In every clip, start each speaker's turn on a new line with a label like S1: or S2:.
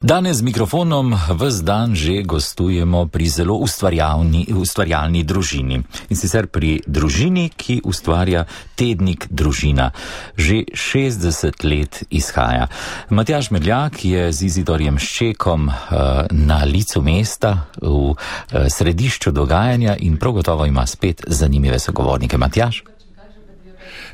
S1: Danes z mikrofonom ves dan že gostujemo pri zelo ustvarjalni družini. In sicer pri družini, ki ustvarja tednik Družina. Že 60 let izhaja. Matjaž Medljak je z Izidorjem Ščekom na licu mesta v središču dogajanja in prav gotovo ima spet zanimive sogovornike. Matjaž?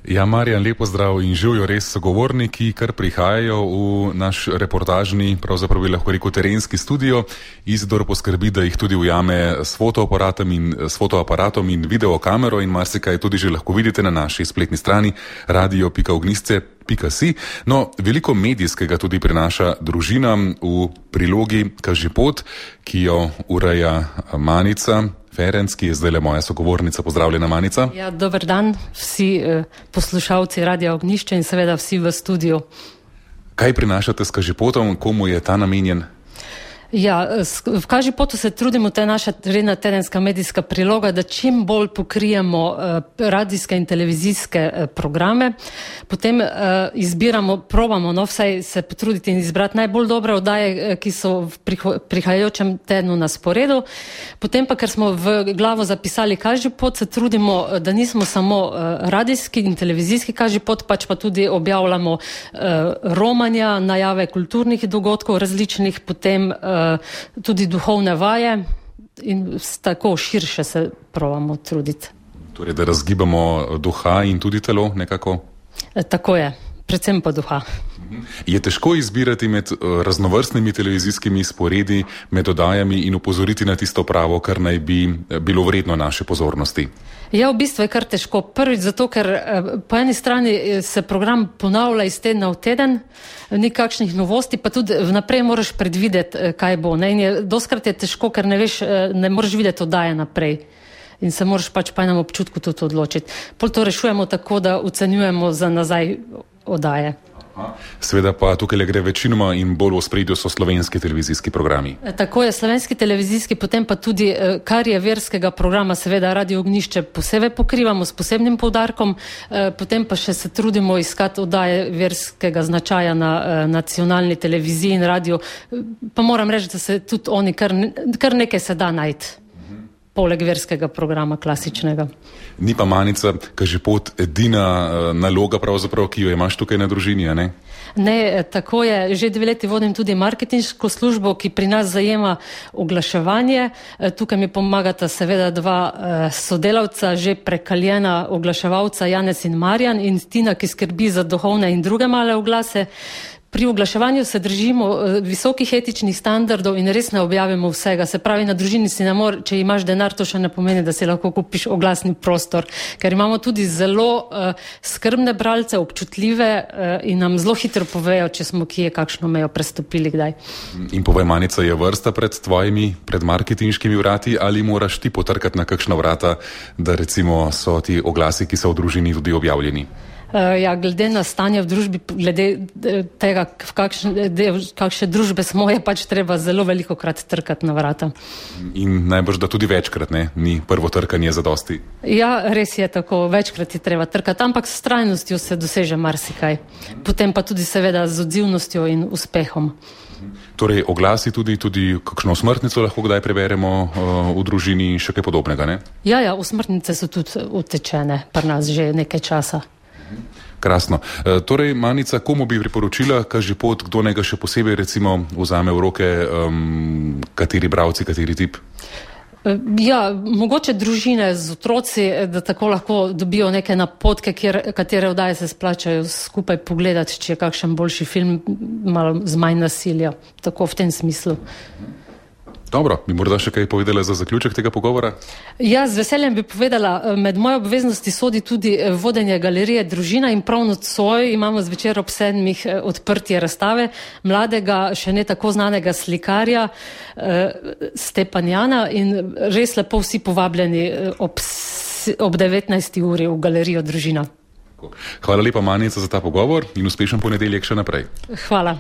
S2: Ja, Marjan, lepo zdrav in živijo res sogovorniki, kar prihajajo v naš reportažni, pravzaprav bi lahko rekel terenski studio. Izidor poskrbi, da jih tudi ujame s fotoaparatom in videokamero in marsikaj tudi že lahko vidite na naši spletni strani radio.ognjišče.si. No, veliko medijskega tudi prinaša Družina v prilogi Kažipot, ki jo ureja Manica Ferenc, ki je zdaj moja sogovornica. Pozdravljena, Manica.
S3: Ja, dober dan vsi poslušalci Radia Ognjišče in seveda vsi v studiu.
S2: Kaj prinašate s Kažipotom, komu je ta namenjen?
S3: Ja, v Kažipotu se trudimo, to je naša redna tedenska medijska priloga, da čim bolj pokrijemo radijske in televizijske programe. Potem probamo vsaj se potruditi in izbrati najbolj dobre oddaje, ki so v prihajajočem tednu na sporedu. Potem pa, ker smo v glavo zapisali Kažipot, se trudimo, da nismo samo radijski in televizijski Kažipot, pač pa tudi objavljamo romanja, najave kulturnih dogodkov različnih, potem tudi duhovne vaje in tako širše se probamo truditi.
S2: Torej, da razgibamo duha in tudi telo nekako?
S3: Tako je, predvsem pa duha.
S2: Je težko izbirati med raznovrstnimi televizijskimi sporedi, med oddajami in opozoriti na tisto pravo, kar naj bi bilo vredno naše pozornosti?
S3: Ja, v bistvu je kar težko. Prvič zato, ker po eni strani se program ponavlja iz tedna v teden, ni kakšnih novosti, pa tudi vnaprej moraš predvideti, kaj bo. In doskrat je težko, ker ne moreš videti oddaje naprej. In se moraš pač po enem občutku tudi odločiti. Pol to rešujemo tako, da ocenjujemo za nazaj oddaje.
S2: Seveda pa tukaj gre večinoma in bolj v ospredju so slovenski televizijski programi.
S3: Tako je, slovenski televizijski, potem pa tudi, kar je verskega programa, seveda Radio Ognjišče posebej pokrivamo s posebnim poudarkom, potem pa še se trudimo iskati oddaje verskega značaja na nacionalni televiziji in radio. Pa moram reči, da se tudi oni kar nekaj se da najti. Poleg verskega programa klasičnega.
S2: Ni pa Manica Kažipot edina naloga pravzaprav, ki jo imaš tukaj na Družini, a ne?
S3: Ne, tako je. Že 2 leti vodim tudi marketinško službo, ki pri nas zajema oglaševanje. Tukaj mi pomagata seveda 2 sodelavca, že prekaljena oglaševalca Janez in Marjan in Tina, ki skrbi za duhovne in druge male oglase. Pri oglaševanju se držimo visokih etičnih standardov in res ne objavimo vsega. Se pravi, na Družini si ne more, če imaš denar, to še ne pomeni, da si lahko kupiš oglasni prostor. Ker imamo tudi zelo skrbne bralce, občutljive in nam zelo hitro povejo, če smo kje kakšno mejo prestopili kdaj. In
S2: povej, Manica, je vrsta pred marketinškimi vrati ali moraš ti potrkati na kakšna vrata, da recimo so ti oglasi, ki so v Družini, tudi objavljeni?
S3: Ja, glede na stanje v družbi, glede tega, v kakšne družbe smo, je pač treba zelo veliko krat trkati na vrata.
S2: In najbrž, da tudi večkrat, ne? Ni prvo trkanje zadosti.
S3: Ja, res je tako, večkrat je treba trkati, ampak s trajnostjo se doseže marsikaj. Potem pa tudi seveda z odzivnostjo in uspehom.
S2: Torej, oglasi tudi kakšno smrtnico lahko kdaj preberemo v Družini in še kaj podobnega, ne?
S3: Ja, usmrtnice so tudi utečene pri nas že nekaj časa.
S2: Krasno. Torej, Manica, komu bi priporočila Kažipot, kdo naj ga še posebej recimo vzame v roke, kateri bralci, kateri tip?
S3: Ja, mogoče družine z otroci, da tako lahko dobijo neke napotke, katere oddaje se splačajo skupaj pogledati, če je kakšen boljši film, malo z manj nasilja. Tako v tem smislu.
S2: Dobro, bi morda še kaj povedala za zaključek tega pogovora?
S3: Ja, z veseljem bi povedala, med moje obveznosti sodi tudi vodenje galerije Družina in prav nocoj imamo zvečer ob 7 odprtje razstave mladega, še ne tako znanega slikarja Stepanjana in res lepo vsi povabljeni ob 19. uri v galerijo Družina.
S2: Hvala lepa, Manica, za ta pogovor in uspešen ponedeljek še naprej.
S3: Hvala.